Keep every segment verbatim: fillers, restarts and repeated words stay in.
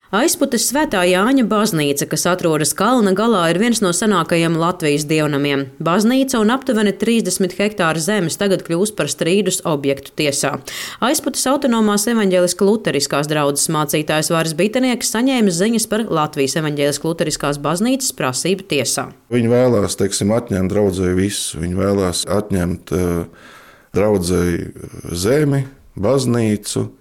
Aizputes Svētā Jāņa baznīca, kas atrodas kalna galā, ir viens no senākajiem Latvijas dievnamiem. Baznīca un aptuveni trīsdesmit hektāri zemes tagad kļūst par strīdus objektu tiesā. Aizputes autonomās evaņģēliska luteriskās draudzes mācītājs Vāris Bitenieks saņēmis ziņas par Latvijas evaņģēliska luteriskās baznīcas prasību tiesā. Viņi vēlās, teiksim, atņemt draudzei visu. Viņi vēlās atņemt uh, draudzei zemi, baznīcu,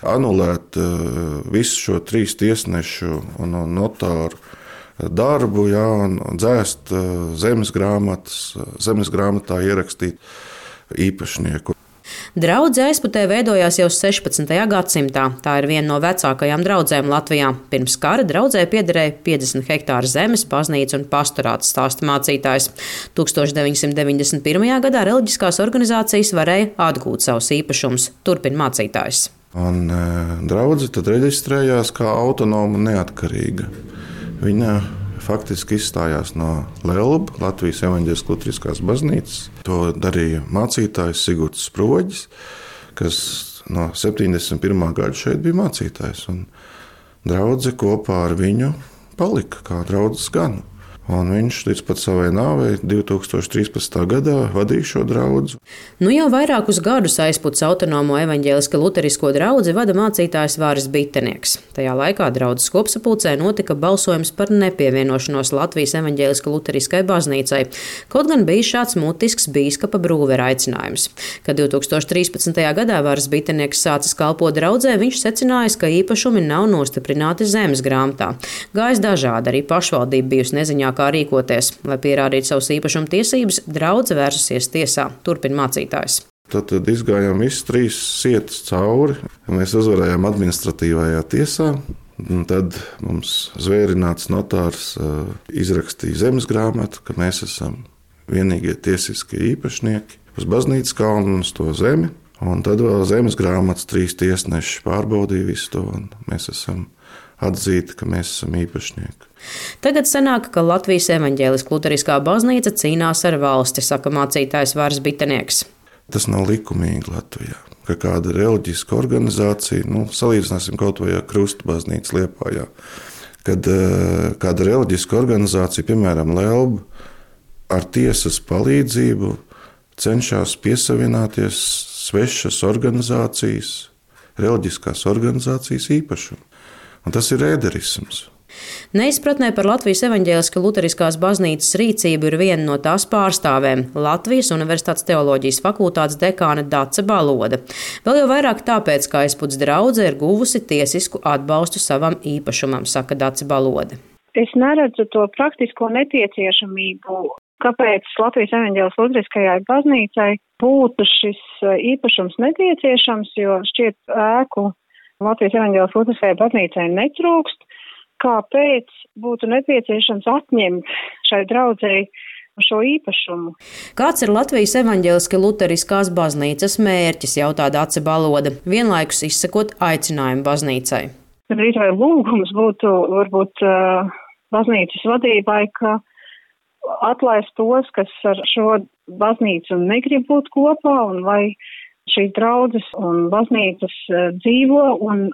anulēt uh, visu šo trīs tiesnešu un, un notāru darbu, jā, un dzēst uh, zemes grāmatas, zemes grāmatā ierakstīt īpašnieku. Draudze Aizputē veidojās jau sešpadsmitajā gadsimtā. Tā ir viena no vecākajām draudzēm Latvijā. Pirms kara draudzē piederēja piecdesmit hektāru zemes, baznīca un pastorāts, stāsta mācītājs. tūkstoš deviņsimt deviņdesmit pirmajā gadā reliģiskās organizācijas varēja atgūt savus īpašumus, turpina mācītājs. Un e, draudze tad reģistrējās kā autonoma un neatkarīga. Viņa faktiski izstājās no Lelba, Latvijas evaņģēliskās luteriskās baznīcas. To darīja mācītājs Sigurds Sproģis, kas no septiņdesmit pirmā gada šeit bija mācītājs. Un draudze kopā ar viņu palika kā draudzes ganu. Un viņš līdz pat savai nāvei divi tūkstoši trīspadsmitā gadā vadīja šo draudzi. Nu jau vairākus gadus Aizputes autonomo evaņģēlisko luterisko draudzi vada mācītājs Vāris Bitenieks. Tajā laikā draudzes kopsapulcē notika balsojums par nepievienošanos Latvijas evaņģēlisko luteriskai baznīcai, kaut gan bija šāds mutisks bīskapa Brūvera aicinājums. Kad divi tūkstoši trīspadsmitajā gadā Vāris Bitenieks sācis kalpot draudzē, viņš secinājis, ka īpašumi nav nostiprināti zemes grāmatā. Gājis dažādi, arī pašvaldība bijusi neziņā, kā rīkoties. Lai pierādītu savus īpašumu tiesības, draudze vērsusies tiesā, turpina mācītājs. Tad, tad izgājām visas trīs sietas cauri. Mēs uzvarējām administratīvajā tiesā. Un tad mums zvērināts notārs uh, izrakstīja zemes grāmatu, ka mēs esam vienīgie tiesiskie īpašnieki uz baznīcas kalnu un uz to zemi. Un tad vēl zemes grāmatas trīs tiesneši pārbaudīja visu to, un mēs esam atzīti, ka mēs esam īpašnieki. Tagad sanāk, ka Latvijas evaņģēliskā luteriskā baznīca cīnās ar valsti, saka mācītājs Vāris Bitenieks. Tas nav likumīgi Latvijā, ka kāda reliģiska organizācija, nu, salīdzināsim kaut vai ar Krustu baznīcu Liepājā, kad uh, kāda reliģiska organizācija, piemēram, Lelba, ar tiesas palīdzību cenšas piesavināties svešas organizācijas, reliģiskās organizācijas īpašumu. Un tas ir ēderisms. Neizpratnē par Latvijas evaņģēliskās luteriskās baznīcas rīcību ir viena no tās pārstāvēm – Latvijas Universitātes teoloģijas fakultātes dekāne Dace Baloda. Vēl jau vairāk tāpēc, ka Aizputes draudze ir guvusi tiesisku atbalstu savam īpašumam, saka Dace Baloda. Es neredzu to praktisko nepieciešamību, kāpēc Latvijas evaņģēliskajai luteriskajai baznīcai būtu šis īpašums nepieciešams, jo šķiet ēku Latvijas evaņģēliskajai luteriskajai baznīcai netrūkst. Kāpēc būtu nepieciešams atņemt šai draudzei šo īpašumu? Kāds ir Latvijas evaņģēliskās luteriskās baznīcas mērķis, jautā Dace Baloda, vienlaikus izsakot aicinājumu baznīcai? Rīt vai lūgums būtu varbūt uh, baznīcas vadībai, ka atlaist tos, kas ar šo baznīcu negrib būt kopā, un lai šīs draudzes un baznīcas uh, dzīvo un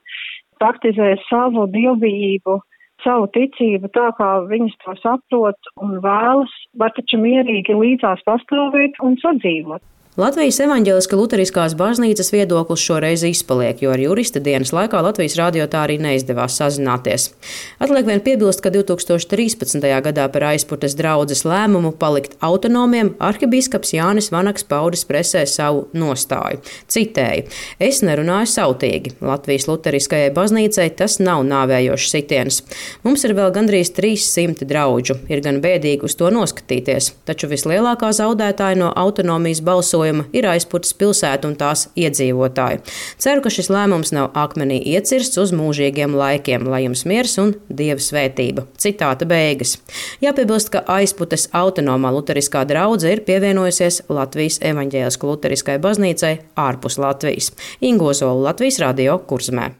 praktizē savu dievbijību, savu ticību tā, kā viņas to saprot un vēlas, var taču mierīgi līdzās pastāvēt un sadzīvot. Latvijas evaņģēliskās luteriskās baznīcas viedoklis šoreiz izpaliek, jo ar jurista dienas laikā Latvijas radio tā arī neizdevās sazināties. Atliek vien piebilst, ka divi tūkstoši trīspadsmitajā gadā par Aizputes draudzes lēmumu palikt autonomiem arhibīskaps Jānis Vanaks paudis presē savu nostāju. Citēju: "Es nerunāju sautīgi. Latvijas luteriskajai baznīcai tas nav nāvējošs sitiens. Mums ir vēl gandrīz trīs simti draudžu. Ir gan bēdīgi uz to noskatīties, taču vislielākā zaudētāja no autonomijas balsojuma ir Aizputes pilsēta un tās iedzīvotāji. Ceru, ka šis lēmums nav akmenī iecirsts uz mūžīgiem laikiem, lai jums miers un Dieva svētība." Citāta beigas. Jāpiebilst, ka Aizputes autonomā luteriskā draudze ir pievienojusies Latvijas evaņģēliskajai luteriskai baznīcai ārpus Latvijas. Ingo Zola, Latvijas radio, Kurzemē.